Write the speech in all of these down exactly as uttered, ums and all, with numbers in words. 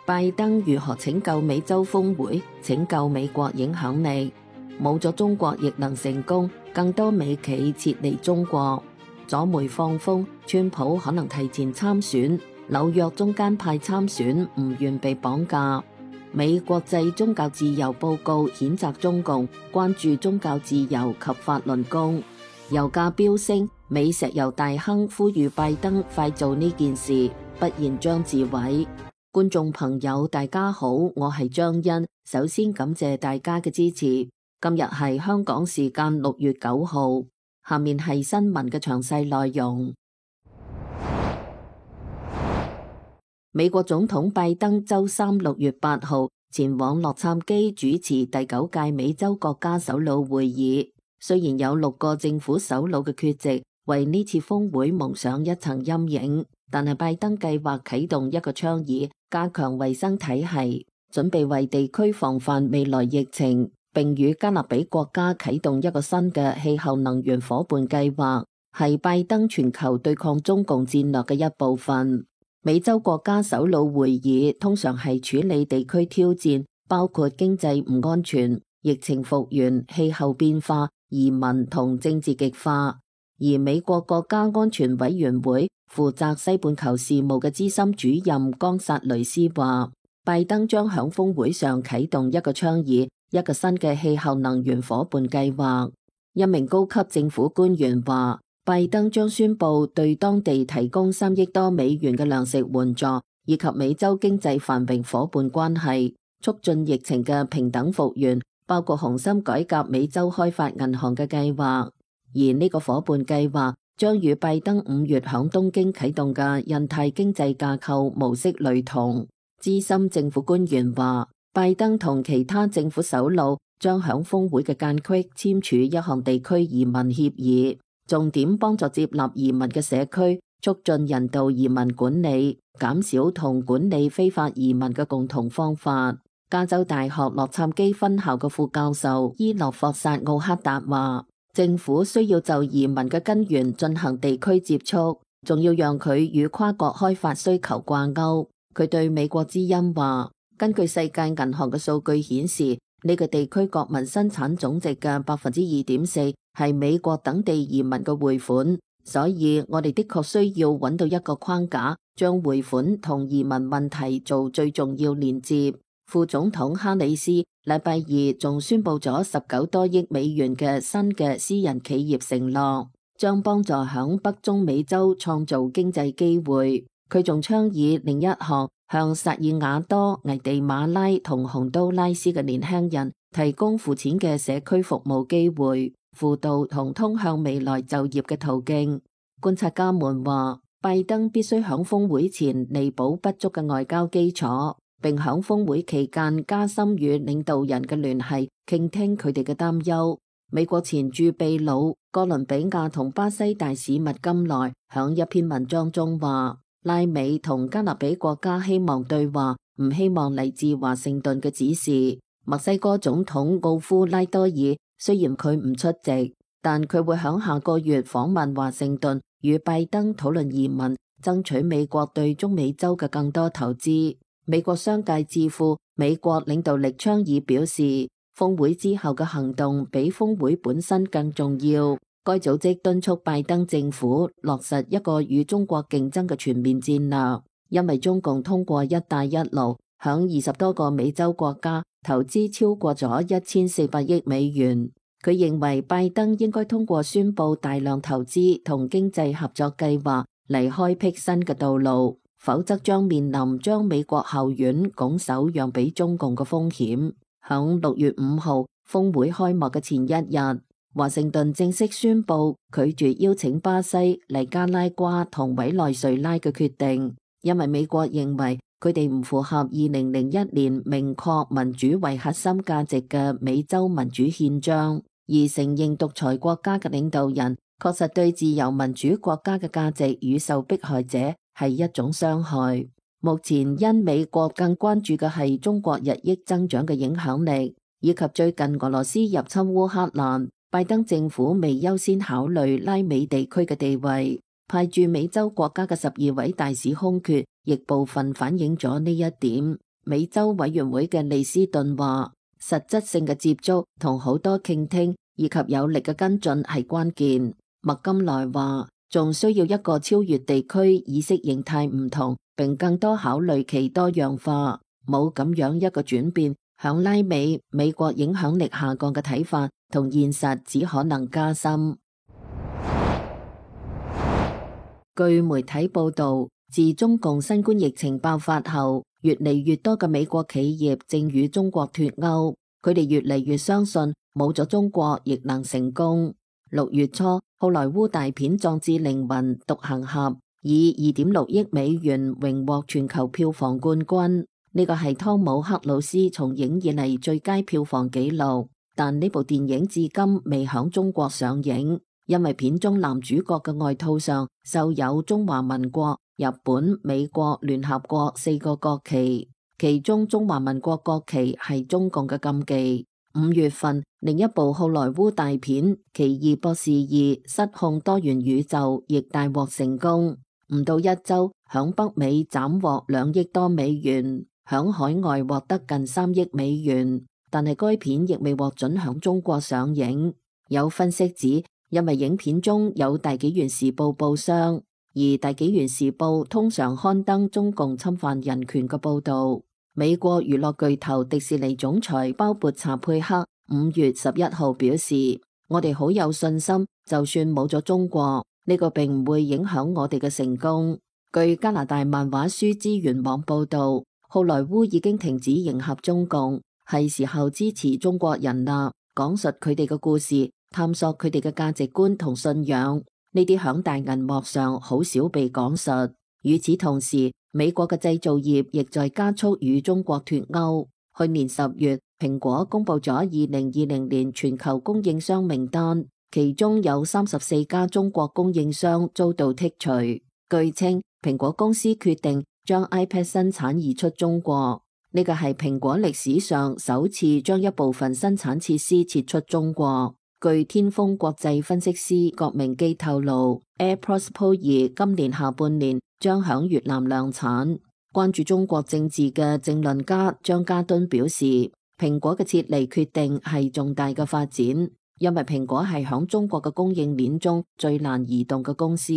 拜登如何拯救美洲峰會，拯救美國影響力？冇咗中國亦能成功，更多美企撤離中國。左媒放風，川普可能提前參選，紐約中間派參選唔願被綁架。美國際宗教自由報告譴責中共，關注宗教自由及法輪功。油價飆升，美石油大亨呼籲拜登快做呢件事，不然將自毀。觀眾朋友大家好，我係張欣，首先感謝大家嘅支持。今日係香港時間六月九號，下面係新聞嘅詳細內容。美國總統拜登周三六月八號前往洛杉磯主持第九屆美洲國家首腦會議，雖然有六個政府首腦嘅缺席，為呢次峰會蒙上一層陰影，但係拜登計劃啟動一個倡議，加強衛生體系，準備為地區防範未來疫情，並與加勒比國家啟動一個新嘅氣候能源夥伴計劃，係拜登全球對抗中共戰略嘅一部分。美洲國家首腦會議通常係處理地區挑戰，包括經濟唔安全、疫情復原、氣候變化、移民同政治極化。而美國國家安全委員會負責西半球事務嘅資深主任岡薩雷斯話，拜登將響峰會上啟動一個倡議，一個新嘅氣候能源夥伴計劃。一名高級政府官員話，拜登將宣布對當地提供三億多美元嘅糧食援助，以及美洲經濟繁榮夥伴關係，促進疫情嘅平等復原，包括重新改革美洲開發銀行嘅計劃。而呢個夥伴計劃將與拜登五月響東京啟動嘅印太經濟架構模式類同。資深政府官員話，拜登同其他政府首腦將響峰會嘅間隙簽署一項地區移民協議，重點幫助接納移民嘅社區，促進人道移民管理，減少同管理非法移民嘅共同方法。加州大學洛杉磯分校嘅副教授伊諾霍薩奧克達話，政府需要就移民嘅根源進行地區接觸，仲要讓佢與跨國開發需求掛鈎。佢對美國之音話，根據世界銀行嘅數據顯示，呢個地區國民生產總值嘅百分之二點四係美國等地移民嘅匯款，所以我哋的確需要揾到一個框架，將匯款同移民問題做最重要連接。副總統哈里斯禮拜二仲宣布咗十九多億美元嘅新嘅私人企業承諾，將幫助響北中美洲創造經濟機會。佢仲倡議另一項，向薩爾瓦多、危地馬拉同洪都拉斯嘅年輕人提供付錢嘅社區服務機會、輔導同通向未來就業嘅途徑。觀察家們話，拜登必須響峰會前彌補不足嘅外交基礎，並響峰會期間加深與領導人嘅聯繫，傾聽佢哋嘅擔憂。美國前駐秘魯、哥倫比亞同巴西大使麥金萊響一篇文章中話，拉美同加勒比國家希望對話，唔希望嚟自華盛頓嘅指示。墨西哥總統奧夫拉多爾雖然佢唔出席，但佢會響下個月訪問華盛頓，與拜登討論移民，爭取美國對中美洲嘅更多投資。美國商界智庫美國領導力倡議表示，峰會之後嘅行動比峰會本身更重要。該組織敦促拜登政府落實一個與中國競爭嘅全面戰略，因為中共通過一帶一路響二十多個美洲國家投資超過咗一千四百億美元。佢認為拜登應該通過宣布大量投資同經濟合作計劃嚟開闢新嘅道路，否則將面臨將美國後院拱手讓俾中共嘅風險。響六月五號峰會開幕嘅前一日，華盛頓正式宣布拒絕邀請巴西、尼加拉瓜同委內瑞拉嘅決定，因為美國認為佢哋唔符合二零零一年明確民主為核心價值嘅美洲民主憲章，而承認獨裁國家嘅領導人確實對自由民主國家嘅價值與受迫害者係一種傷害。目前因美國更關注嘅係中國日益增長嘅影響力，以及最近俄羅斯入侵烏克蘭，拜登政府未優先考慮拉美地區嘅地位，派駐美洲國家嘅十二位大使空缺，亦部分反映咗呢一點。美洲委員會嘅利斯頓話，實質性嘅接觸同好多傾聽以及有力嘅跟進係關鍵。麥金萊話，仲需要一個超越地區意識形態唔同並更多考慮其多樣化，冇咁樣一個轉變，響拉美美國影響力下降嘅睇法同現實只可能加深。據媒體報道，自中共新冠疫情爆發後，越嚟越多嘅美國企業正與中國脫鈎，佢哋越嚟越相信冇咗中國亦能成功。六月初，好萊塢大片《壯志凌雲》獨行俠以二點六億美元榮獲全球票房冠軍，呢個係湯姆克魯斯從影以嚟最佳票房紀錄。但呢部電影至今未響中國上映，因為片中男主角嘅外套上繡有中華民國、日本、美國、聯合國四個國旗，其中中華民國國旗係中共嘅禁忌。五月份，另一部好萊塢大片《奇異博士二：失控多元宇宙》亦大獲成功，唔到一周響北美斬獲兩億多美元，響海外獲得近三億美元，但係該片亦未獲准響中國上映。有分析指，因為影片中有大紀元時報報商，而大紀元時報通常刊登中共侵犯人權嘅報道。美國娛樂巨頭迪士尼總裁鮑勃查佩克五月十一號表示，我哋好有信心，就算冇咗中國，呢個並唔會影響我哋嘅成功。據加拿大漫畫書資源網報道，好萊塢已經停止迎合中共，係時候支持中國人啦，講述佢哋嘅故事，探索佢哋嘅價值觀同信仰，呢啲響大銀幕上好少被講述。與此同時，美國嘅製造業亦在加速與中國脫鈎。去年十月，蘋果公布咗二零二零年全球供應商名單，其中有三十四家中國供應商遭到剔除。據稱，蘋果公司決定將 iPad 生產移出中國，呢個係蘋果歷史上首次將一部分生產設施撤出中國。據天風國際分析師郭明基透露， AirPods Pro 二今年下半年將響越南量產。關注中國政治嘅政論家張家敦表示，蘋果嘅撤離決定係重大嘅發展，因為蘋果係響中國嘅供應鏈中最難移動嘅公司。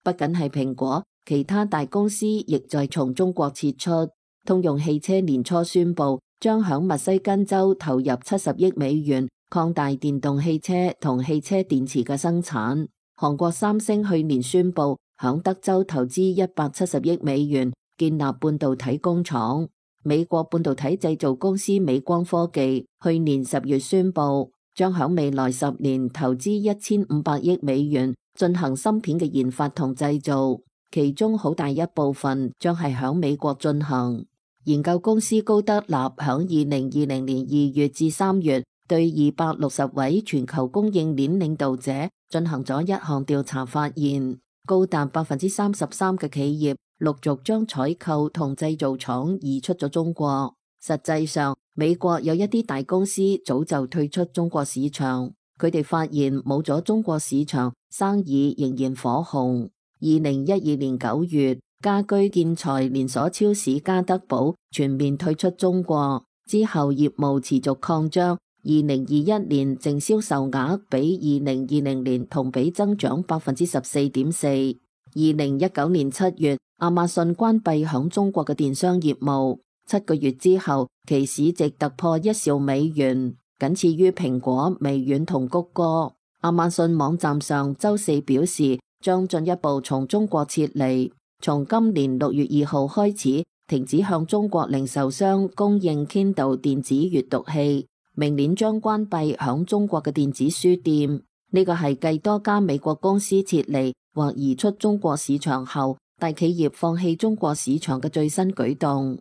不僅係蘋果，其他大公司亦在從中國撤出。通用汽車年初宣布將響密西根州投入七十億美元擴大電動汽車同汽車電池嘅生產。韓國三星去年宣布響德州投資一百七十億美元建立半導體工廠。美國半導體製造公司美光科技去年十月宣布將響未來十年投資一千五百億美元進行芯片嘅研發同製造，其中好大一部分將係響美國進行。研究公司高德納響二零二零年二月至三月對二百六十位全球供應鏈領導者進行咗一項調查，發現高達百分之三十三嘅企業陸續將採購同製造廠移出咗中國。實際上，美國有一啲大公司早就退出中國市場，佢哋發現冇咗中國市場，生意仍然火紅。二零一二年九月，家居建材連鎖超市家得寶全面退出中國，之後業務持續擴張。二零二一年淨銷售額比二零二零年同比增長百分之十四點四。二零一九年七月，亞馬遜關閉響中國嘅電商業務，七個月之後，其市值突破一兆美元，僅次於蘋果、微軟同谷歌。亞馬遜網站上周四表示，將進一步從中國撤離，從今年六月二號開始停止向中國零售商供應 Kindle 電子閱讀器。明年將關閉響中國嘅電子書店，呢個係繼多家美國公司撤離或移出中國市場後，大企業放棄中國市場嘅最新舉動。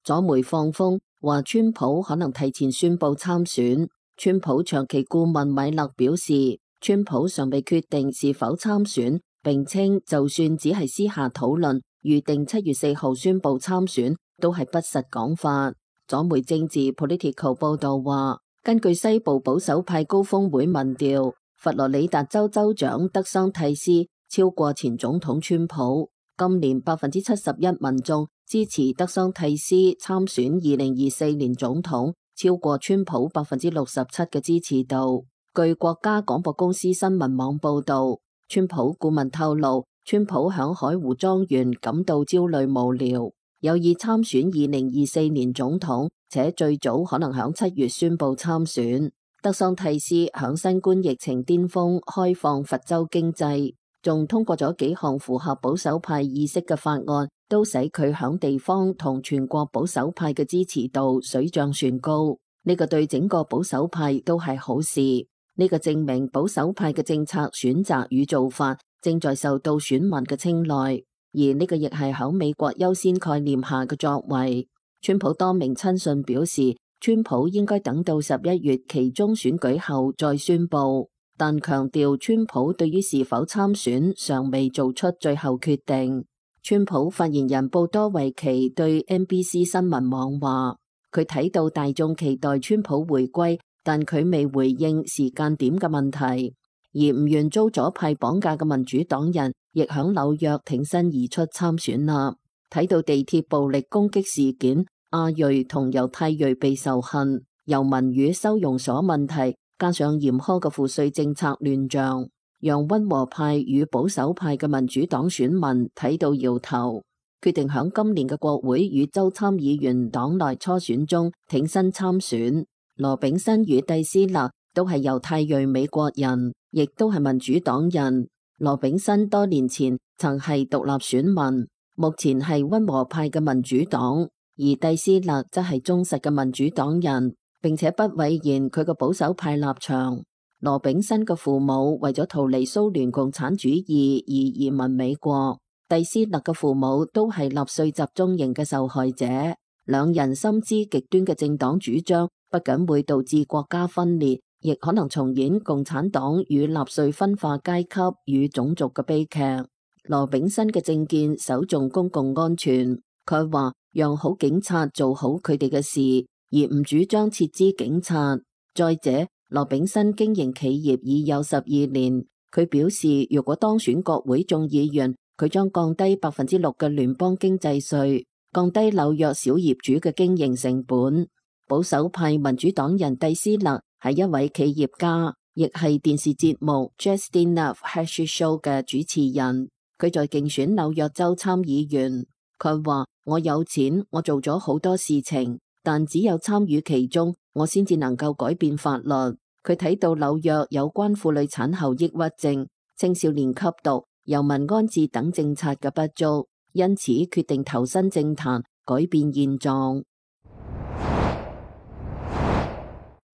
左媒放風話，川普可能提前宣布參選。川普長期顧問米勒表示，川普尚未決定是否參選，並稱就算只係私下討論，預定七月四號宣布參選，都係不實講法。左媒政治 Political 報道話，根據西部保守派高峰會民調，佛羅里達州州長德桑蒂斯超過前總統川普。今年百分之七十一民眾支持德桑蒂斯參選二零二四年總統，超過川普百分之六十七嘅支持度。據國家廣播公司新聞網報道，川普顧問透露，川普響海湖莊園感到焦慮無聊，有意參選二零二四年總統，且最早可能響七月宣布參選。德桑蒂斯響新冠疫情巔峰開放佛州經濟，仲通過咗幾項符合保守派意識嘅法案，都使佢響地方同全國保守派嘅支持度水漲船高。呢個對整個保守派都係好事。呢個證明保守派嘅政策選擇與做法正在受到選民嘅青睞，而呢個亦係響美國優先概念下嘅作為。川普多名親信表示，川普應該等到十一月期中選舉後再宣布，但強調川普對於是否參選尚未做出最後決定。川普發言人布多維奇對 N B C 新聞網話，佢睇到大眾期待川普回歸，但佢未回應時間點嘅問題。而唔願遭左派綁架嘅民主黨人亦響紐約挺身而出參選啦。睇到地鐵暴力攻擊事件，亞裔同猶太裔被仇恨，由民與收容所問題，加上嚴苛嘅賦稅政策亂象，讓溫和派與保守派嘅民主黨選民睇到搖頭，決定響今年嘅國會與州參議員黨內初選中挺身參選。羅炳新與蒂斯勒都係猶太裔美國人，亦都係民主黨人。羅炳新多年前曾係獨立選民，目前係溫和派嘅民主黨，而蒂斯勒則係忠實嘅民主黨人，並且不諱言佢嘅保守派立場。羅炳新嘅父母為咗逃離蘇聯共產主義而移民美國，蒂斯勒嘅父母都係納粹集中營嘅受害者。兩人深知極端嘅政黨主張不僅會導致國家分裂，亦可能重演共產黨與納粹分化階級與種族嘅悲劇。羅炳新嘅政見首重公共安全，佢話讓好警察做好佢哋嘅事，而唔主張撤資警察。再者，羅炳新經營企業已有十二年，佢表示如果當選國會眾議員，佢將降低百分之六嘅聯邦經濟稅，降低紐約小業主嘅經營成本。保守派民主黨人蒂斯勒係一位企業家，亦係電視節目 Justin Love Hashy Show 嘅主持人。佢在競選紐約州參議員，佢話：我有錢，我做咗好多事情，但只有參與其中，我先至能夠改變法律。佢睇到紐約有關婦女產後抑鬱症、青少年吸毒、遊民安置等政策嘅不足，因此決定投身政壇，改變現狀。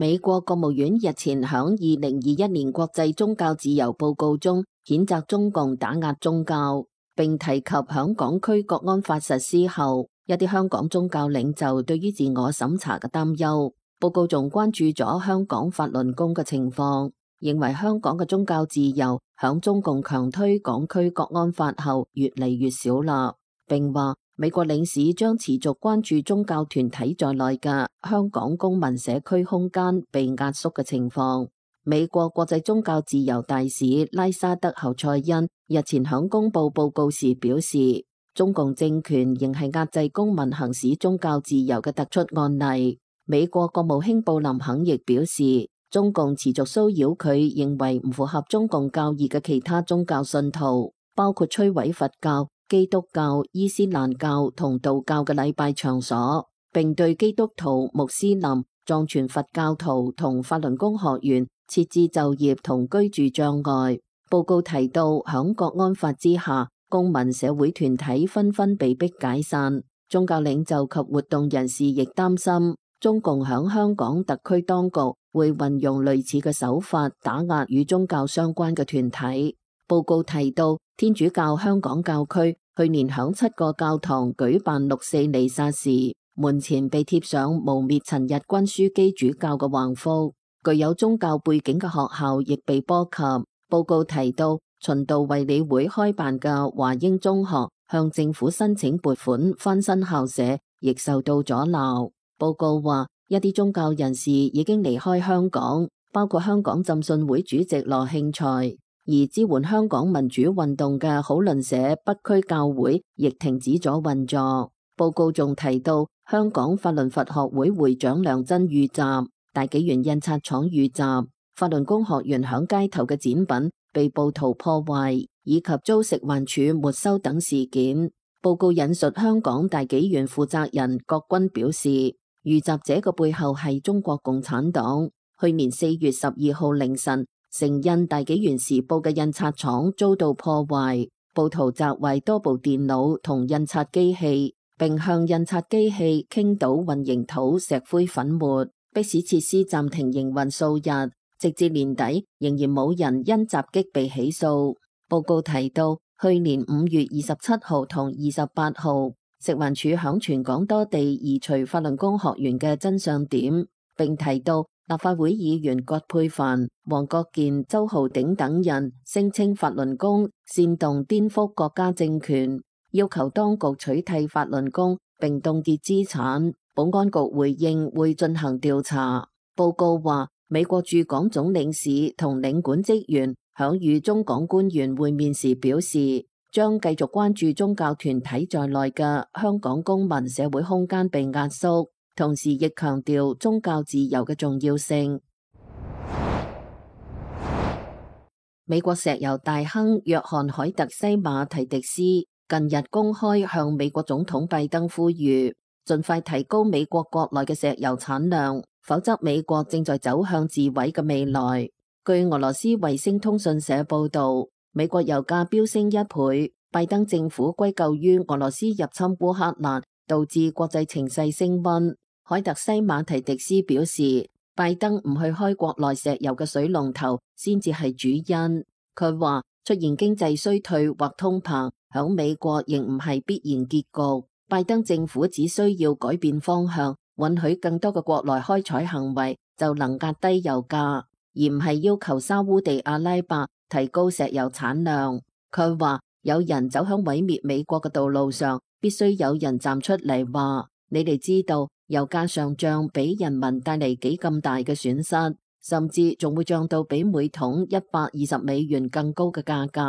美國國務院日前響二零二一年國際宗教自由報告中譴責中共打壓宗教，並提及響港區國安法實施後，一啲香港宗教領袖對於自我審查嘅擔憂。報告仲關注咗香港法輪功嘅情況，認為香港嘅宗教自由響中共強推港區國安法後越嚟越少啦，並話美國領事將持續關注宗教團體在內嘅香港公民社區空間被壓縮嘅情況。美國國際宗教自由大使拉沙德侯賽因日前響公布報告時表示，中共政權仍係壓制公民行使宗教自由嘅突出案例。美國國務卿布林肯亦表示，中共持續騷擾佢認為唔符合中共教義嘅其他宗教信徒，包括摧毀佛教、基督教、伊斯蘭教同道教嘅禮拜場所，並對基督徒、穆斯林、藏傳佛教徒同法輪功學員設置就業同居住障礙。報告提到，響國安法之下，公民社會團體紛紛被迫解散，宗教領袖及活動人士亦擔心中共響香港特區當局會運用類似嘅手法打壓與宗教相關嘅團體。報告提到，天主教香港教區去年響七個教堂舉辦六四彌撒時，門前被貼上誣衊陳日君樞機主教嘅橫幅。具有宗教背景嘅學校亦被波及。報告提到，循道衛理會開辦嘅華英中學向政府申請撥款翻新校舍，亦受到阻撓。報告話，一啲宗教人士已經離開香港，包括香港浸信會主席羅慶才。而支援香港民主運動嘅好鄰社北區教會亦停止咗運作。報告仲提到，香港法輪佛學會會長梁真遇襲，大紀元印刷廠遇襲，法輪功學員響街頭嘅展品被暴徒破壞，以及遭食環署沒收等事件。報告引述香港大紀元負責人郭軍表示，遇襲者嘅背後係中國共產黨。去年四月十二號凌晨，成印大紀元時報嘅印刷廠遭到破壞，暴徒砸壞多部電腦同印刷機器，並向印刷機器傾倒混凝土、石灰粉末，迫使設施暫停營運數日，直至年底仍然冇人因襲擊被起訴。報告提到，去年五月二十七號同二十八號，食環署響全港多地移除法輪功學員嘅真相點，並提到立法會議員葛珮帆、黃國健、周浩鼎等人聲稱法輪功煽動顛覆國家政權，要求當局取締法輪功並凍結資產。保安局回應會進行調查。報告話，美國駐港總領事同領館職員響與中港官員會面時表示，將繼續關注宗教團體在內嘅香港公民社會空間被壓縮，同時亦強調宗教自由嘅重要性。美國石油大亨約翰海特西馬提迪斯近日公開向美國總統拜登呼籲，盡快提高美國國內嘅石油產量，否則美國正在走向自毀嘅未來。據俄羅斯衛星通訊社報道，美國油價飆升一倍，拜登政府歸咎於俄羅斯入侵烏克蘭，導致國際情勢升溫。海特西馬提迪斯表示，拜登唔去開國內石油嘅水龍頭先至係主因。佢話出現經濟衰退或通膨，響美國仍唔係必然結局。拜登政府只需要改變方向，允許更多嘅國內開採行為，就能壓低油價，而唔係要求沙烏地阿拉伯提高石油產量。佢話有人走向毀滅美國嘅道路上，必須有人站出嚟話，你哋知道油價上漲俾人民帶嚟幾咁大嘅損失，甚至仲會漲到比每桶一百二十美元更高嘅價格，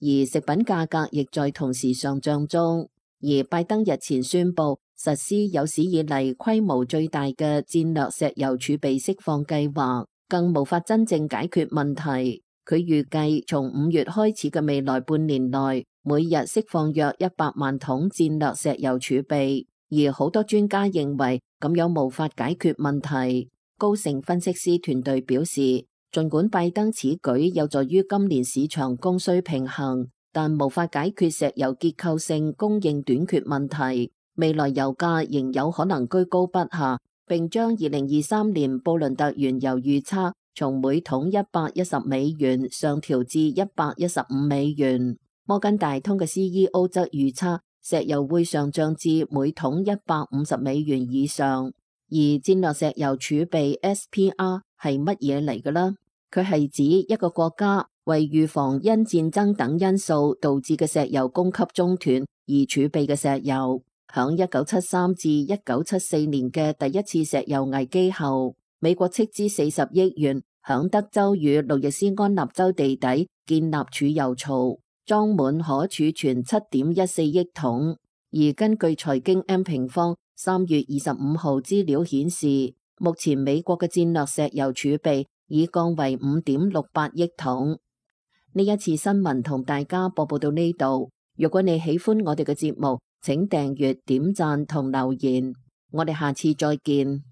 而食品價格亦在同時上漲中。而拜登日前宣布實施有史以嚟規模最大嘅戰略石油儲備釋放計劃，更無法真正解決問題。佢預計從五月開始嘅未來半年內，每日釋放約一百萬桶戰略石油儲備，而好多專家認為咁樣無法解決問題。高盛分析師團隊表示，儘管拜登此舉有助於今年市場供需平衡，但無法解決石油結構性供應短缺問題。未來油價仍有可能居高不下，並將二零二三年布倫特原油預測從每桶一百一十美元上調至一百一十五美元。摩根大通嘅 C E O 則預測石油會上漲至每桶一百五十美元以上。而戰略石油儲備 S P R 係乜嘢嚟嘅呢？佢係指一個國家為預防因戰爭等因素導致嘅石油供給中斷而儲備嘅石油。響一九七三至一九七四年嘅第一次石油危機後，美國斥資四十億元響德州與路易斯安那州地底建立儲油槽，裝滿可儲存七點一四億桶。而根據財經 M 平方三月二十五號資料顯示，目前美國嘅戰略石油儲備已降為五點六八億桶。呢一次新聞同大家播報到呢度。如果你喜歡我哋嘅節目，請訂閱、點讚同留言。我哋下次再見。